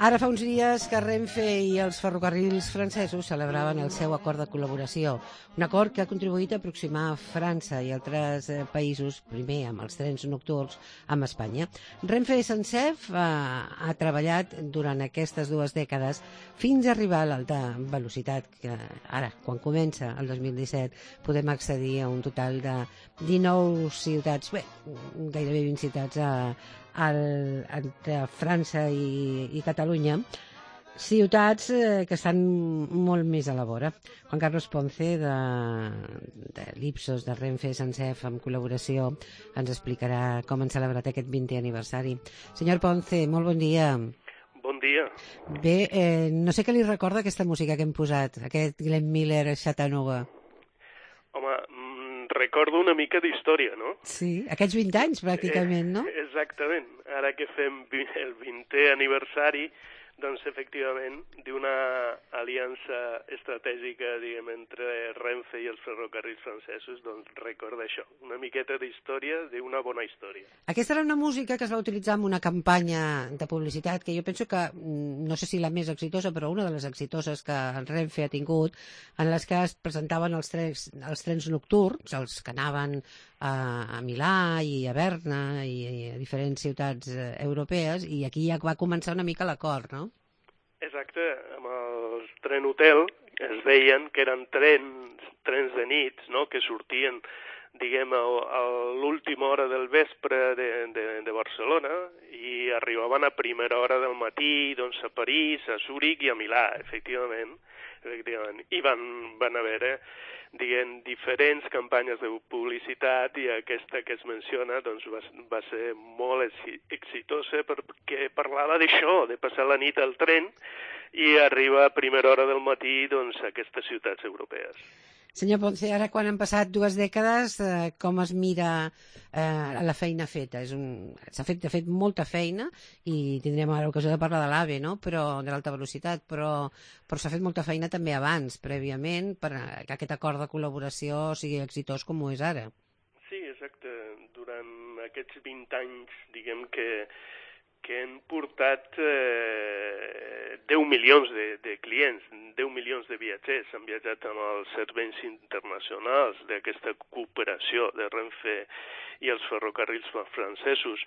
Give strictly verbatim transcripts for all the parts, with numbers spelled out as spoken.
Ara fa uns dies que Renfe i els ferrocarrils francesos celebraven el seu acord de col·laboració, un acord que ha contribuït a aproximar França i altres eh, països, primer amb els trens nocturns, amb Espanya. Renfe Sencef eh, ha treballat durant aquestes dues dècades fins a arribar a l'alta velocitat, que ara, quan comença el dos mil disset, podem accedir a un total de dinou ciutats, bé, gairebé vint ciutats a, al, entre França i, i Catalunya, ciutats eh, que estan molt més a la vora. Juan Carlos Ponce, de, de l'Ipsos, de Renfe Sencef, amb col·laboració, ens explicarà com han celebrat aquest vintè aniversari. Senyor Ponce, molt bon dia. Bon dia. Bé, eh, no sé què li recorda aquesta música que hem posat, aquest Glenn Miller Chattanooga. Home, recordo una mica d'història, no? Sí, aquests vint anys, pràcticament, no? Eh, exactament. Ara que fem el vintè aniversari, doncs, efectivament, d'una aliança estratègica, diguem, entre Renfe i els ferrocarrils francesos, doncs recorda això, una miqueta d'història d'una bona història. Aquesta era una música que es va utilitzar en una campanya de publicitat que jo penso que, no sé si la més exitosa, però una de les exitoses que el Renfe ha tingut, en les que es presentaven els trens, els trens nocturns, els que anaven a, a Milà i a Berna i, i a diferents ciutats eh, europees, i aquí ja va començar una mica l'acord, no? Exacte, amb el tren hotel es veien que eren trens, trens de nits, no?, que sortien, diguem, a, a l'última hora del vespre de, de, de Barcelona i arribaven a primera hora del matí, doncs, a París, a Zúrich i a Milà, efectivament. efectivament. I van, van haver, eh, diguem, diferents campanyes de publicitat, i aquesta que es menciona doncs, va, va ser molt exitosa perquè parlava d'això, de passar la nit al tren i arribar a primera hora del matí, doncs, a aquestes ciutats europees. Senyor Ponce, ara quan han passat dues dècades, eh, com es mira eh, la feina feta? És un... S'ha fet, de fet, molta feina, i tindrem ara l'ocasió de parlar de l'AVE, no?, però, de l'alta velocitat, però, però s'ha fet molta feina també abans, prèviament, per que aquest acord de col·laboració sigui exitós com ho és ara. Sí, exacte. Durant aquests vint anys, diguem que que han portat eh, deu milions de, de clients, deu milions de viatgers, han viatjat amb els serveis internacionals d'aquesta cooperació de Renfe i els ferrocarrils francesos.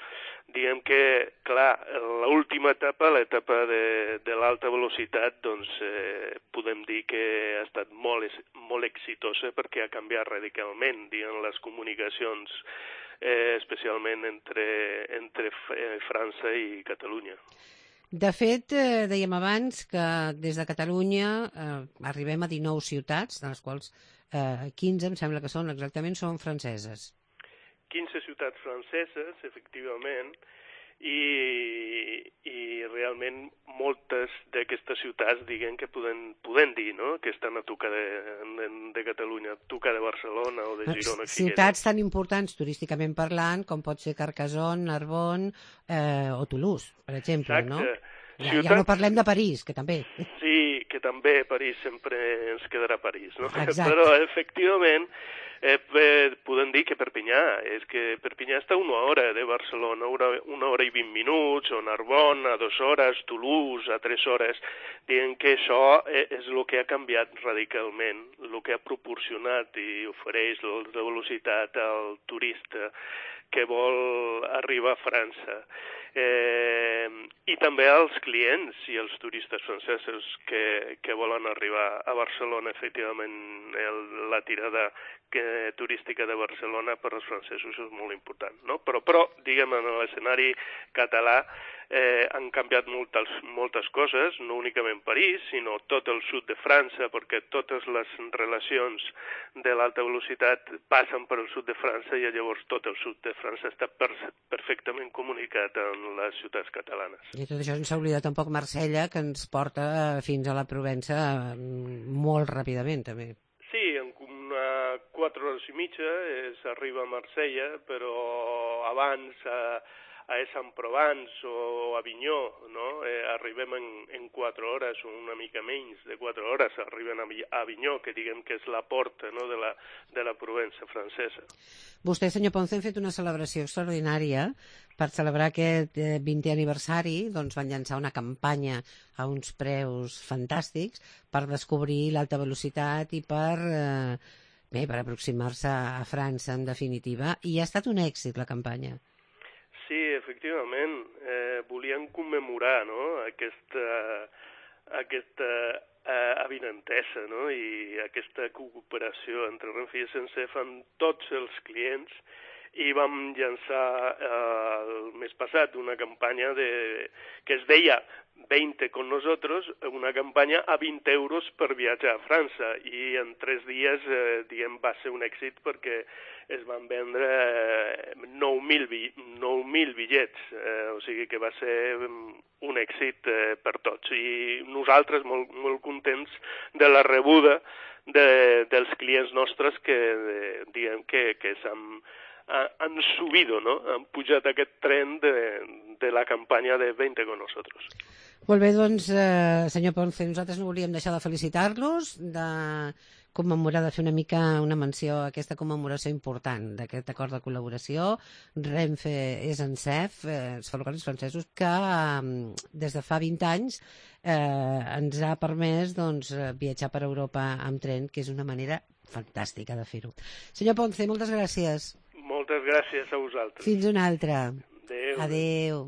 Diguem que, clar, l'última etapa, l'etapa de, de l'alta velocitat, doncs eh, podem dir que ha estat molt, molt exitosa perquè ha canviat radicalment, diguem, les comunicacions, Eh, especialment entre, entre França i Catalunya. De fet, eh, dèiem abans que des de Catalunya eh, arribem a dinou ciutats, de les quals eh, quinze, em sembla que són exactament, són franceses. quinze ciutats franceses, efectivament, i, i realment moltes d'aquestes ciutats, diguem, que podem, podem dir, no?, que estan a tocar de, de, de Catalunya, a tocar de Barcelona o de Girona. Ciutats tan importants turísticament parlant com pot ser Carcassonne, Narbonne eh, o Toulouse, per exemple. Exacte. No? Ja, Ciutats... ja no parlem de París, que també. Sí, que també París sempre ens quedarà París, no? Exacte. Però, efectivament, eh, podem dir que Perpinyà, és que Perpinyà està a una hora de Barcelona, una, una hora i vint minuts, o Narbonne a dues hores, Toulouse a tres hores. Diguem que això és el que ha canviat radicalment, el que ha proporcionat i ofereix la velocitat al turista que vol arribar a França. Eh, i també als clients i als turistes francesos que, que volen arribar a Barcelona. Efectivament, el, la tirada que, turística de Barcelona per als francesos és molt important, no? Però, però diguem, en l'escenari català eh, han canviat moltes, moltes coses, no únicament París, sinó tot el sud de França, perquè totes les relacions de l'alta velocitat passen per el sud de França, i llavors tot el sud de França està per, perfectament comunicat amb les ciutats catalanes. I tot això ens s'ha oblidat un poc Marsella, que ens porta fins a la Provença molt ràpidament, també. Sí, en una quatre hores i mitja s'arriba a Marsella, però abans a, a Aix-en-Provence o a Avinyó, no? Eh, arribem en, en quatre hores o una mica menys de quatre hores, arriben a Avinyó, que diguem que és la porta, no?, de la, de la Provença francesa. Vostè, senyor Ponce, han fet una celebració extraordinària per celebrar aquest vintè aniversari. Doncs van llançar una campanya a uns preus fantàstics per descobrir l'alta velocitat i per, eh, bé, per aproximar-se a França, en definitiva. I ha estat un èxit, la campanya. Sí, efectivament. Eh, volien commemorar, no?, aquesta, aquesta eh, avinentesa, no?, i aquesta cooperació entre Renfe i S N C F amb tots els clients, i vam llançar eh, el mes passat una campanya de, que es deia veinte con nosotros, una campanya a vint euros per viatjar a França, i en tres dies eh, diguem, va ser un èxit perquè es van vendre eh, nou mil bitllets, eh, o sigui que va ser un èxit eh, per tots, i nosaltres molt, molt contents de la rebuda de, dels clients nostres que, de, diguem, que, que s'han han subido, ¿no? Han pujat aquest tren de, de la campanya de veinte con nosotros. Molt bé, doncs, eh, senyor Ponce, nosaltres no volíem deixar de felicitar-los, de commemorar, de fer una mica una menció a aquesta commemoració important d'aquest acord de col·laboració Renfe S N C F, eh, els ferrocarrils francesos, que eh, des de fa vint anys eh, ens ha permès doncs, viatjar per Europa amb tren, que és una manera fantàstica de fer-ho. Senyor Ponce, moltes gràcies. Moltes gràcies a vosaltres. Fins una altra. Adéu. Adéu.